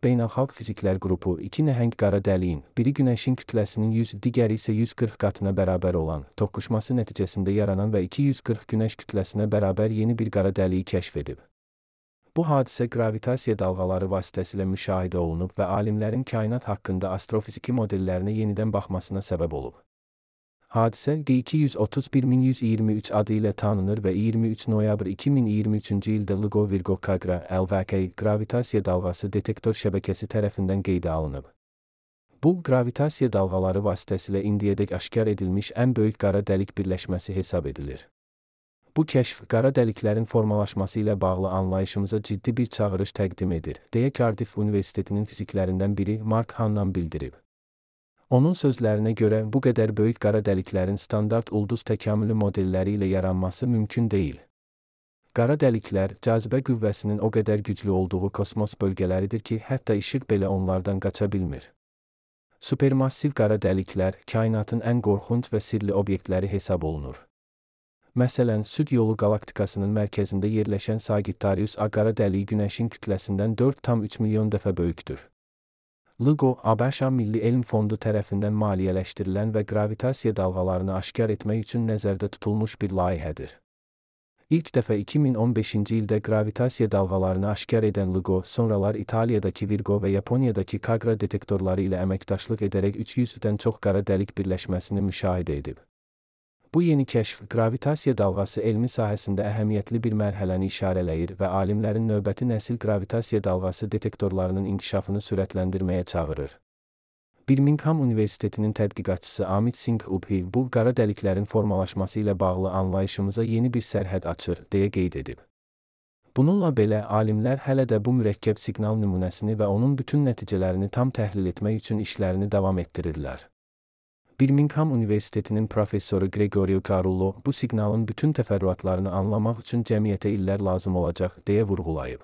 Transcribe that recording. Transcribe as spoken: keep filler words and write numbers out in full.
Beynəlxalq Fiziklər Qrupu iki nəhəng qara dəliyin, biri Günəşin kütləsinin yüz, digəri isə yüz qırx qatına bərabər olan, toqquşması nəticəsində yaranan və iki yüz qırx Günəş kütləsinə bərabər yeni bir qara dəliyi kəşf edib. Bu hadisə qravitasiya dalğaları vasitəsilə müşahidə olunub və alimlərin kainat haqqında astrofiziki modellərinə yenidən baxmasına səbəb olub. Hadisə G iki yüz otuz bir min yüz iyirmi üç adı ilə tanınır və iyirmi üç noyabr iki min iyirmi üçüncü ildə LIGO Virgo Kagra L V K qravitasiya dalğası detektor şəbəkəsi tərəfindən qeydə alınıb. Bu, qravitasiya dalğaları vasitəsilə indiyədək aşkar edilmiş ən böyük qara dəlik birləşməsi hesab edilir. Bu kəşf, qara dəliklərin formalaşması ilə bağlı anlayışımıza ciddi bir çağırış təqdim edir, deyə Cardiff Universitetinin fiziklərindən biri Mark Hannan bildirib. Onun sözlərinə görə, bu qədər böyük qara dəliklərin standart ulduz təkamülü modelləri ilə yaranması mümkün deyil. Qara dəliklər, cazibə qüvvəsinin o qədər güclü olduğu kosmos bölgələridir ki, hətta işıq belə onlardan qaça bilmir. Supermassiv qara dəliklər, kainatın ən qorxunc və sirli obyektləri hesab olunur. Məsələn, Süd yolu qalaktikasının mərkəzində yerləşən Sagittarius A qara dəliyi Günəşin kütləsindən dörd tam üç milyon dəfə böyükdür. LIGO, ABŞ Milli Elm Fondu tərəfindən maliyyələşdirilən və qravitasiya dalğalarını aşkar etmək üçün nəzərdə tutulmuş bir layihədir. İlk dəfə iki min on beşinci ildə qravitasiya dalğalarını aşkar edən LIGO, sonralar İtaliyadakı Virgo və Yaponiyadakı Kagra detektorları ilə əməkdaşlıq edərək üç yüzdən çox qara dəlik birləşməsini müşahidə edib. Bu yeni kəşf, qravitasiya dalğası elmi sahəsində əhəmiyyətli bir mərhələni işarələyir və alimlərin növbəti nəsil qravitasiya dalğası detektorlarının inkişafını sürətləndirməyə çağırır. Birmingham Universitetinin tədqiqatçısı Amit Singh Ubhi bu qara dəliklərin formalaşması ilə bağlı anlayışımıza yeni bir sərhəd açır, deyə qeyd edib. Bununla belə, alimlər hələ də bu mürəkkəb siqnal nümunəsini və onun bütün nəticələrini tam təhlil etmək üçün işlərini davam etdirirlər. Birmingham Universitetinin professoru Gregorio Carullo bu siqnalın bütün təfərrüatlarını anlamaq üçün cəmiyyətə illər lazım olacaq, deyə vurğulayıb.